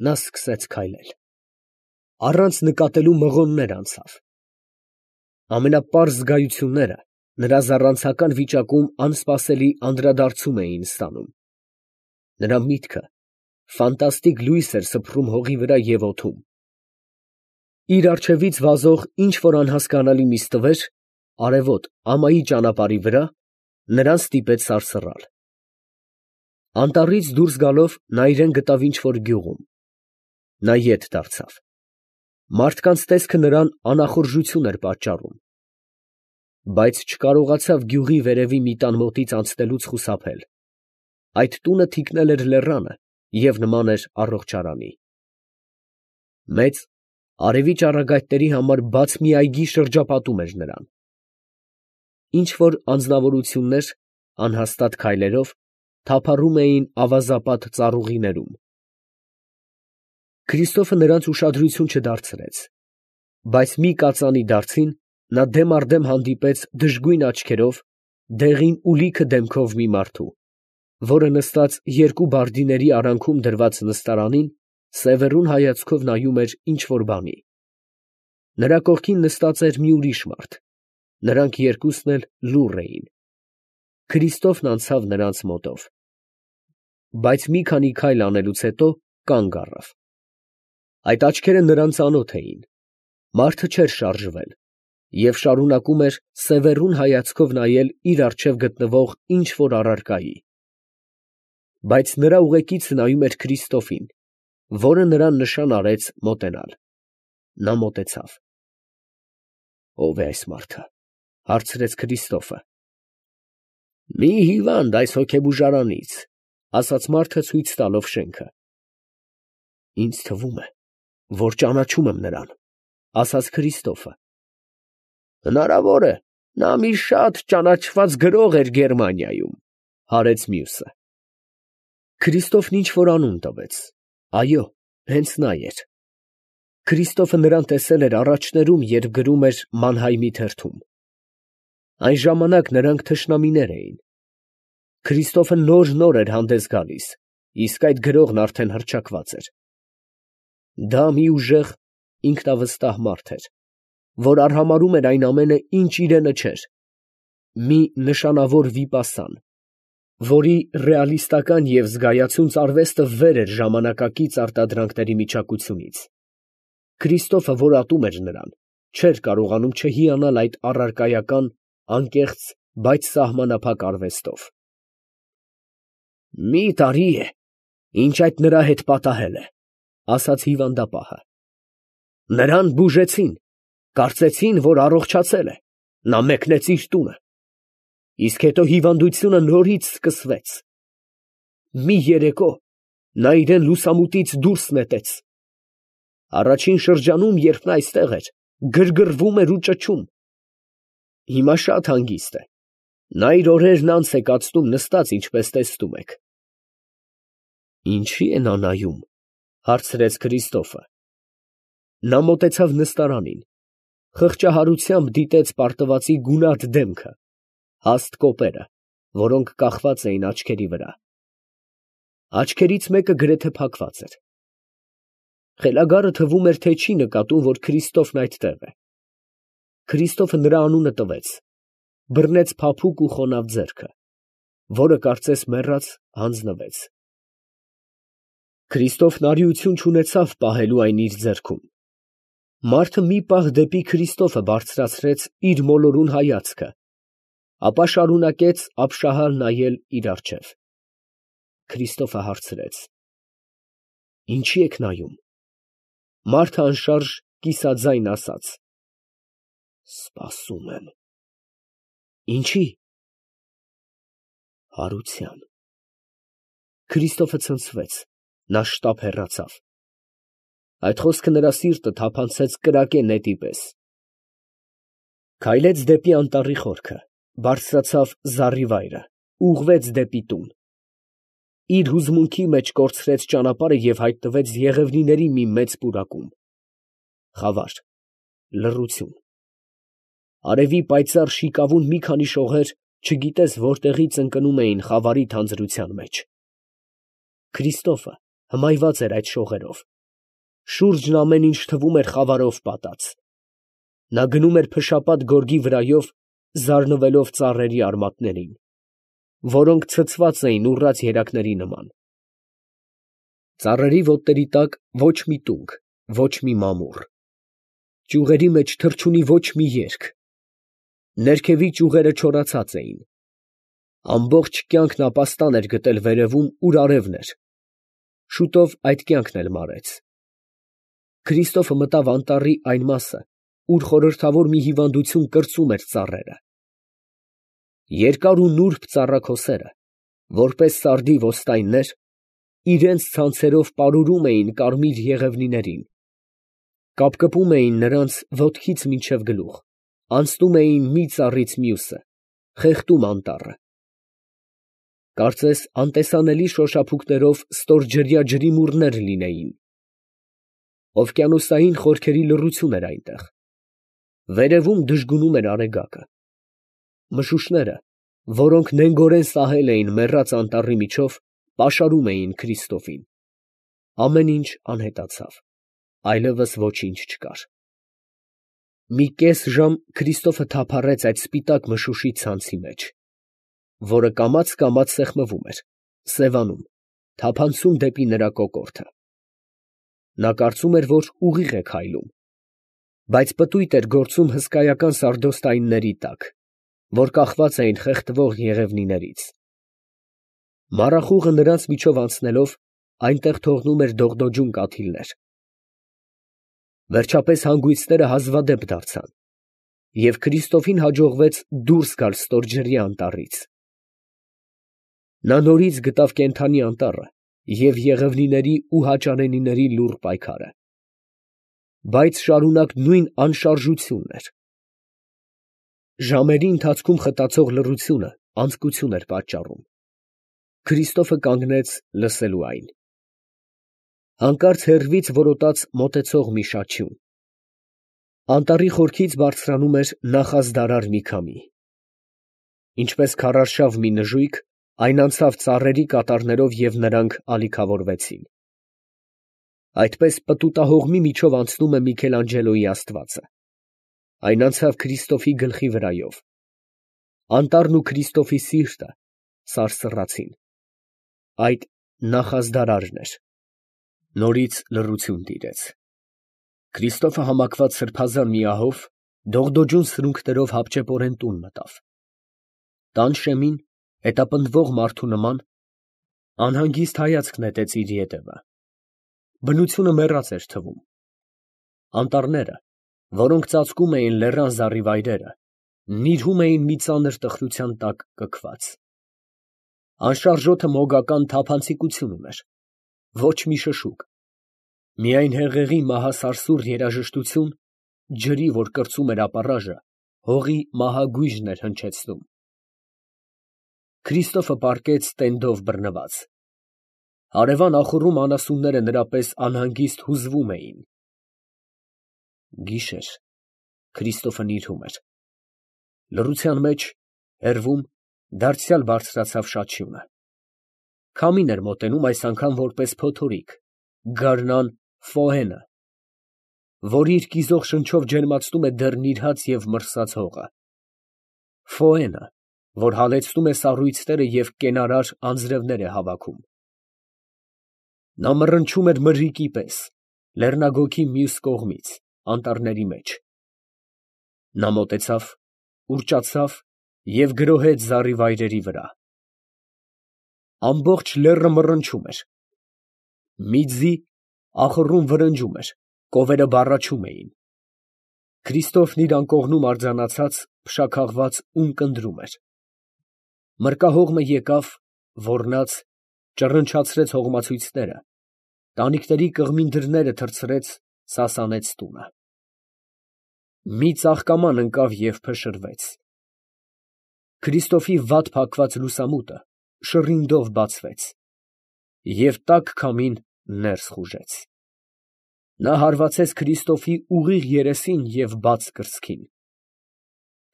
նա սկսեց քայլել։ Առանց նկատելու մղոններ անցավ։ Ամենապարզ զգայությունները նրա զառանցական վիճակում անսպասելի անդրադարձում էին ստանում։ Նրա միտքը ֆանտաստիկ լույս էր սփռում հողի վրա և օդում։ Իր առջևից վազող ինչ֊որ անհասկանալի մի ստվեր, արևոտ ամայի ճանապարհի վրա, նրան ստիպեց սարսռալ։ Անտառից դուրս գալով նա իրան գտավ ինչ֊որ գյուղում։ Նա ետ դարձավ։ Մարդկանց տեսքը նրան անախորժություն էր պատճառում, բայց չկարողացավ գյուղի վերևի մի տան մոտից անցնելուց խուսափել. այդ տունը թիկնել էր լեռանը և նման էր առողջարանի։ Մեծ, արևի ճառագայթների համար բաց մի այգի շրջապատում էր նրան։ Ինչ֊որ անձնավորություններ անհաստատ քայլերով թափառում էին ավազապատ ծառուղիներում։ Քրիստոֆը նրանց ուշադրություն չդարձրեց, բայց մի կածանի դարձին նա դեմ առ դեմ հանդիպեց դժգույն աչքերով, դեղին ուլիքը դեմքով մի մարդու, որը նստած երկու բարդիների արանքում դրված նստարանին, սևեռուն հայացքով նայում էր ինչ֊որ բանի։ Նրա կողքին նստած էր մի ուրիշ մարդ, նրանք երկուսն էլ լուռ էին։ Քրիստոֆն անցավ նրանց մոտով, բայց մի քանի քայլ անելուց հետո կանգ առավ։ Այդ աչքերը նրան ծանոթ էին։ Մարդը չէր շարժվել և շարունակում էր սևեռուն հայացքով նայել իր առջև գտնվող ինչ֊որ առարկայի։ Բայց նրա ուղեկիցը նայում էր Քրիստոֆին, որը նրան նշան արեց մոտենալ։ Նա մոտեցավ։ «Ո՞վ է այս մարդը» հարցրեց Քրիստոֆը։ ֊ Մի հիվանդ այս հոգեբուժարանից, ֊ ասաց մարդը ցույց տալով շենքը։ ֊ Ինձ թվում է, որ ճանաչում եմ նրան, ֊ ասաց Քրիստոֆը։ ֊ Հնարավոր է, նա մի շատ ճանաչված գրող էր Գերմանիայում, ֊ հարեց մյուսը։ Քրիստոֆն ինչ֊որ անուն տվեց։ Այո, հենց նա էր։ Քրիստոֆը նրան տեսել էր առաջներում, երբ գրում էր Մանհայմի թերթում։ Այն ժամանակ նրանք թշնամիներ էին։ Քրիստոֆը նոր էր հանդես գալիս, իսկ այդ գրողն արդեն հռչակված էր։ Դա մի ուժեղ, ինքնավստահ մարդ էր, որ արհամարհում էր այն ամենը, ինչ իրենը չէր, մի նշանավոր վիպասան, որի ռեալիստական և զգայացունց արվեստը վեր էր ժամանակակից արտադրանքների միջակությունից։ Քրիստոֆը, որ ատում էր նրան, չէր կարողանում չհիանալ այդ առարկայական, անկեղծ, բայց սահմանափակ արվեստով։ «Մի տարի է, ինչ այդ նրա հետ պատահել է, ֊ ասաց հիվանդապահը։ Նրան բուժեցին, կարծեցին, որ առողջացել է, նա մեկնեց իր տունը։ Իսկ հետո հիվանդությունը նորից սկսվեց։ Մի երեկո նա իրան լուսամուտից դուրս նետեց։ Առաջին շրջանում, երբ նա այստեղ էր, գրգռվում էր ու ճչում։ Հիմա շատ հանգիստ է, նա իր օրերն անց է կացնում նստած, ինչպես տեսնում եք։ ֊ Ինչի՞ է նա նայում, ֊ հարցրեց Քրիստոֆը։ Նա մոտեցավ նստարանին, խղճահարությամբ դիտեց պարտվածի գունատ դեմքը, հաստ կոպերը, որոնք կախված էին աչքերի վրա։ Աչքերից մեկը գրեթե փակված էր։ Խելագարը թվում էր, թե չի նկատում, որ Քրիստոֆն այդտեղ է։ Քրիստոֆը նրա անունը տվեց, բռնեց փափուկ ու խոնավ ձեռքը, որը կարծես մեռած հանձնվեց։ Քրիստոֆն արիություն չունեցավ պահելու այն իր ձեռքում։ Մարդը մի պահ դեպի Քրիստոֆը բարձրացրեց իր մոլորուն հայացքը, ապա շարունակեց ապշահալ նայել իր առջև։ Քրիստոֆը հարցրեց. «Ինչի՞ եք նայում»։ Մարդը անշարժ կիսաձայն ասաց. «Սպասում եմ»։ Ինչի՞։ Հարության։ Քրիստոֆը ցնցվեց, նա շտապ հեռացավ։ Այդ խոսքը նրա սիրտը թափանցեց կրակե նետի պես։ Քայլեց դեպի անտառի խորքը, բարձրացավ զառիվայրը, ուղղվեց դեպի տուն։ Իր հուզմունքի մեջ կորցրեց ճանապարհը և հայտնվեց եղևնիների մի մեծ պուրակում։ Խավար, լռություն։ Արևի պայծառ շիկավուն մի քանի շողեր չգիտես որտեղից ընկնում էին խավարի թանձրության մեջ։ Քրիստոֆը հմայված էր այդ շողերով։ Շուրջն ամեն ինչ թվում էր խավարով պատած։ Նա գնում էր փշապատ գորգի վրայով, զարնվելով ծառերի արմատներին, որոնք ցցված էին ուռած երակների նման։ Ծառերի ոտների տակ ոչ մի տունգ, ոչ մի մամուռ։ Ճյուղերի մեջ թռչունի ոչ մի երգ։ Ներքևի ճյուղերը չորացած էին։ Ամբողջ կյանքն ապաստան էր գտել վերևում, ուր արևն էր։ Շուտով այդ կյանքն էլ մարեց։ Քրիստոֆը մտավ անտառի այն մասը, ուր խորհրդավոր մի հիվանդություն կրծում էր ծառերը։ Երկար ու նուրբ ծառաքոսերը, որպես սարդի ոստայններ, իրենց ցանցերով պարուրում էին կարմիր եղևնիներին, կապկպում էին նրանց ոտքից մինչև գլուխ, անցնում էին մի ծառից մյուսը, խեղդում անտառը։ Կարծես անտեսանելի շոշափուկներով ստորջրյա ջրիմուռներ լինեին։ Օվկիանոսային խորքերի լռություն էր այնտեղ։ Վերևում դժգունում էր արեգակը։ Մշուշները, որոնք նենգորեն սահել էին մեռած անտառի միջով, պաշարում էին Քրիստոֆին։ Ամեն ինչ անհետացավ, այլևս ոչինչ չկար։ Մի կես ժամ Քրիստոֆը թափառեց այդ սպիտակ մշուշի ցանցի մեջ, որը կամաց սեղմվում էր, սևանում, թափանցում դեպի նրա կոկորդը։ Նա կարծում էր, որ ուղիղ է քայլում, բայց պտույտ էր գործում հսկայական սարդոստայնների տակ, որ կախված էին խեղդվող եղևնիներից։ Մառախուղը նրանց միջով անցնելով, այնտեղ թողնում էր դողդոջուն կաթիլներ։ Վերջապես հանգույցները հազվադեպ դարձան, և Քրիստոֆին հաջողվեց դուրս գալ ստորջրյա անտառից։ Նա նորից գտավ կենդանի անտառը և եղևնիների ու հաճարենիների լուռ պայքարը։ Բայց շարունակ նույն անշարժությունն էր։ Ժամերի ընթացքում խտացող լռությունը անձկություն էր պատճառում։ Քրիստոֆը կանգնեց լսելու այն։ Հանկարծ հեռվից որոտաց մոտեցող մի շաչյուն։ Անտառի խորքից բարձրանում էր նախազդարար մի քամի։ Ինչպես քարարշավ մի նժույգ, այն անցավ ծառերի կատարներով և նրանք ալիքավորվեցին։ Այդպես պտուտահողմի միջով անցնում է Միքելանջելոյի աստվածը։ Այն անցավ Քրիստոֆի գլխի վրայով։ Անտառն ու Քրիստոֆի սիրտը սարսռացին։ Այդ նախազդարարն էր։ Նորից լռություն տիրեց։ Քրիստոֆը համակված սրբազան մի ահով, դողդոջուն սրունքներով հապճեպորեն տուն մտավ։ Տան շեմին, հետապնդվող մարդու նման, անհանգիստ հայացք նետեց իր ետևը։ Բնությունը մեռած էր թվում։ Անտառները, որոնք ծածկում էին լեռան զառիվայրերը, նիրհում էին մի ծանր տխրության տակ կքված։ Անշարժոթը մոգական թափանցիկություն ուներ, ոչ մի շշուկ, միայն հեղեղի մահասարսուռ երաժշտություն, ջրի, որ կրծում էր ապառաժը, հողի մահագույժն էր հնչեցնում։ Քրիստոֆը պառկեց տենդով բռնված։ Հարևան ախոռում անասունները նրա պես անհանգիստ հուզվում էին։ Գիշեր, Քրիստոֆը նիրհում էր։ Լռության մեջ, հեռվում, դարձյալ բարձրացավ շաչյունը։ Քամին էր մոտենում, այս անգամ որպես փոթորիկ, գարնան Ֆոհենը, որ իր կիզող շնչով ջերմացնում է դեռ նիրհած և մրսած հողը։ Ֆոհենը, որ հալեցնում է սառույցները և կենարար անձրևներ է հավաքում։ Նա մռնչում էր մրրիկի պես, լեռնագոգի մյուս կողմից, անտառների մեջ։ Նա մոտեցավ, ուռճացավ և գրոհեց զառիվայրերի վրա։ Ամբողջ լեռը մռնչում էր։ Մի ձի ախոռում վրնջում էր, կովերը բառաչում էին։ Քրիստոֆն իր անկողնում արձանացած, փշաքաղված ունկնդրում էր։ Մրկահողմը եկավ, ոռնաց, ճռնչացրեց հողմացույցները, տանիքների կղմին դռները թռցրեց, սասանեց տունը։ Մի ծաղկաման ընկավ և փշրվեց։ Քրիստոֆի վատ փակված լուսամուտը շռինգով բացվեց, և տաք քամին ներս խուժեց։ Նա հարվածեց Քրիստոֆի ուղիղ երեսին և բաց կրծքին։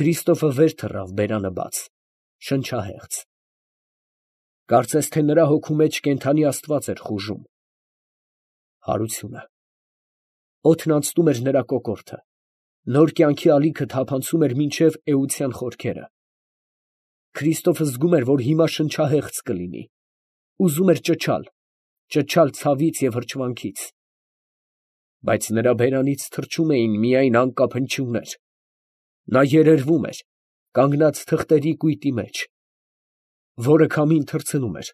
Քրիստոֆը վեր թռավ բերանը բաց, շնչահեղձ։ Կարծես թե նրա հոգու մեջ կենդանի աստված էր խուժում, Հարությունը։ Օդն անցնում էր նրա կոկորդը, նոր կյանքի ալիքը թափանցում էր մինչև էության խորքերը։ Քրիստոֆը զգում էր, որ հիմա շնչահեղձ կլինի, ուզում էր ճչալ ցավից և հրճվանքից, բայց նրա բերանից թռչում էին միայն անկապ հնչյուններ։ Նա երերվում էր, կանգնած թղթերի կույտի մեջ, որը քամին թռցնում էր,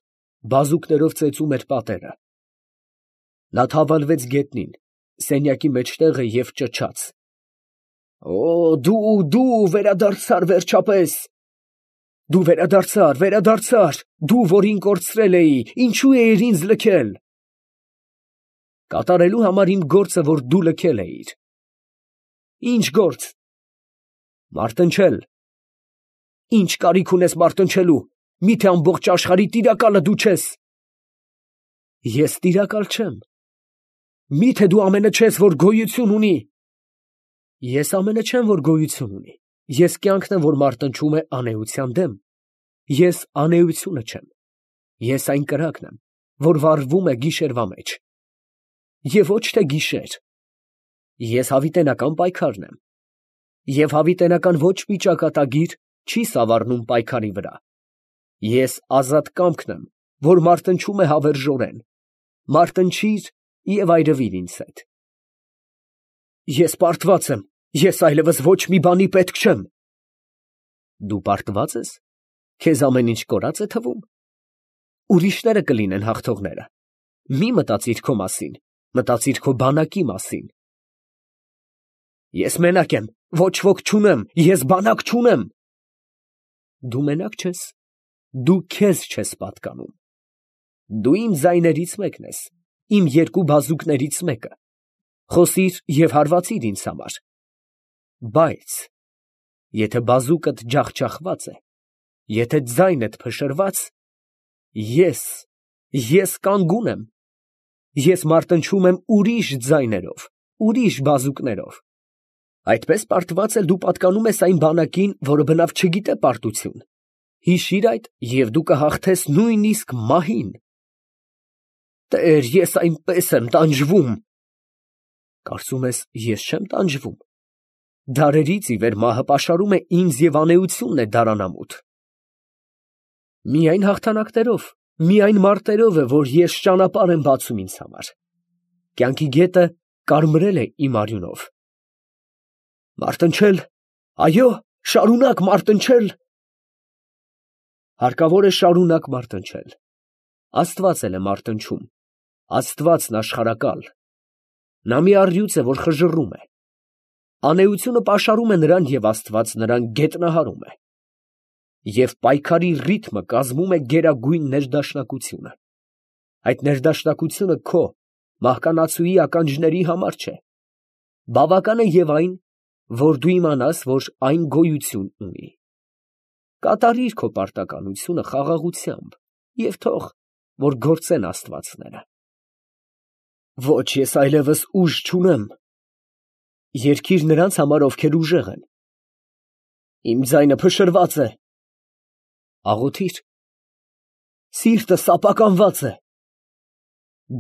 բազուկներով ծեծում էր պատերը։ Նա թավալվեց գետնին, սենյակի մեջտեղը և ճչաց. «Օ, դու վերադարձար վերջապես. դու վերադարձար, դու, որ ինձ կորցրել էի, ինչու էիր ինձ լքել»։ Կատարելու համար իմ գործը, որ դու լքել էիր։ Ի՞նչ գործ։ Մարտնչել։ Ի՞նչ կարիք ունես մարտնչելու, միթե ամբողջ աշխարհի տիրակալը դու չես։ Ես տիրակալ չեմ։ Միթե դու ամենը չես, որ գոյություն ունի։ Ես ամենը չեմ, որ գոյություն ունի։ Ես կյանքն եմ, որ մարտնչում է անէության դեմ։ Ես անէությունը չեմ։ Ես այն կրակն եմ, որ վառվում է գիշերվա մեջ։ Եվ ոչ թե գիշեր։ Ես հավիտենական պայքարն եմ։ Եվ հավիտենական ոչ մի ճակատագիր չի սավառնում պայքարի վրա։ Ես ազատ կամքն եմ, որ մարտնչում է հավերժորեն։ Մարտնչիր և այրվիր ինձ հետ։ Ես պարտված եմ, ես այլևս ոչ մի բանի պետք չեմ։ Դու պարտված ես։ Քեզ ամեն ինչ կորած է թվում։ Ուրիշները կլինեն հաղթողները։ Մի մտածիր քո մասին, մտածիր քո բանակի մասին։ Ես մենակ եմ, ոչ ոք չունեմ, ես բանակ չունեմ։ Դու մենակ չես, դու քեզ չես պատկանում։ Դու իմ ձայներից մեկն ես, իմ երկու բազուկներից մեկը։ Խոսիր և հարվածիր ինձ համար։ Բայց եթե բազուկդ ջախջախված է, եթե ձայնդ փշրված, ես կանգուն եմ։ Ես մարտնչում եմ ուրիշ ձայներով, ուրիշ բազուկներով։ Այդպես պարտված էլ դու պատկանում ես այն բանակին, որը բնավ չգիտե պարտություն։ Հիշիր այդ, և դու կհաղթես նույնիսկ մահին։ Տեր, ես այնպես եմ տանջվում։ Կարծում ես, ես չեմ տանջվում։ Դարերից ի վեր մահը պաշարում է ինձ և անէությունն է դարանամուտ։ Միայն հաղթանակներով, միայն մարտերով է, որ ես ճանապարհ եմ բացում ինձ համար։ Կյանքի գետը կարմրել է իմ արյունով։ Մարտնչել, այո, շարունակ մարտնչել։ Հարկավոր է շարունակ մարտնչել։ Աստված էլ է մարտնչում, Աստվածն աշխարհակալ։ Նա մի առյուծ է, որ խժռում է։ Անէությունը պաշարում է նրան, և Աստված նրան գետնահարում է։ Եվ պայքարի ռիթմը կազմում է գերագույն ներդաշնակությունը։ Այդ ներդաշնակությունը քո, մահկանացուի ականջների համար չէ։ Բավական է և այն, որ դու իմանաս, որ այն գոյություն ունի։ Կատարիր քո պարտականությունը խաղաղությամբ և թող, որ գործեն աստվածները։ Ոչ, ես այլևս ուժ չունեմ։ Երգիր նրանց համար, ովքեր ուժեղ են։ Իմ ձայնը փշրված է։ Աղոթիր։ Սիրտս ապականված է։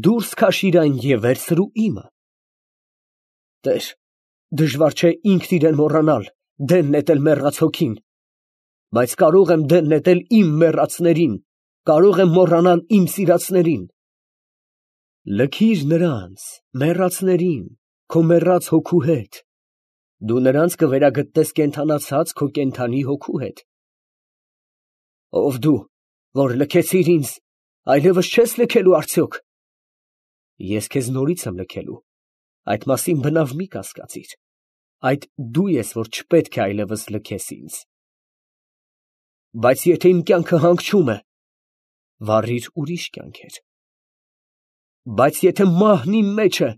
Դուրս քաշիր այն և վերցրու իմը։ Տեր, դժվար չէ ինքն իրեն մոռանալ, դեն նետել մեռած հոգին, բայց կարող եմ դեն նետել իմ մեռածներին, կարող եմ մոռանալ իմ սիրածներին։ Լքիր նրանց, մեռածներին, քո մեռած հոգու հետ։ Դու նրանց կվերագտնես կենդանացած քո կենդանի հոգու հետ։ Ով դու, որ լքեցիր ինձ, այլևս չես լքելու արդյոք։ Ես քեզ նորից եմ լքելու, այդ մասին բնավ մի կասկածիր, այդ դու ես, որ չպետք է այլևս լքես ինձ։ Բայց եթե իմ կյանքը հանգչում է, վառիր ուրիշ կյանքեր։ Բայց եթե մահն իմ մեջ է,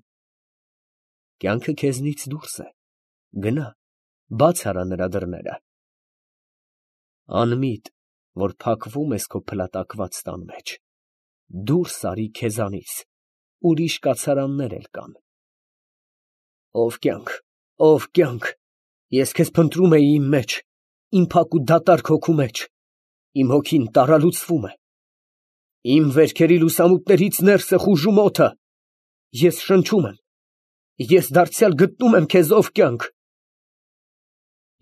կյանքը քեզնից դուրս է, գնա, բաց արա նրա դռները։ Անմիտ, որ փակվում ես քո փլատակված տան մեջ, դուրս արի քեզանից, ուրիշ կացարաններ էլ կան։ Ով կյանք, ես քեզ փնտրում էի իմ մեջ, իմ փակ ու դատարկ հոգու մեջ, իմ հոգին տարալուծվում է, իմ վերքերի լուսամուտներից ներս է խուժում օդը, Ես շնչում եմ, ես դարձյալ գտնում եմ քեզով կյանք։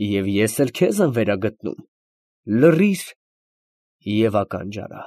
Եվ ես էլ քեզ եմ վերագտնում, լռիր և ականջ արա։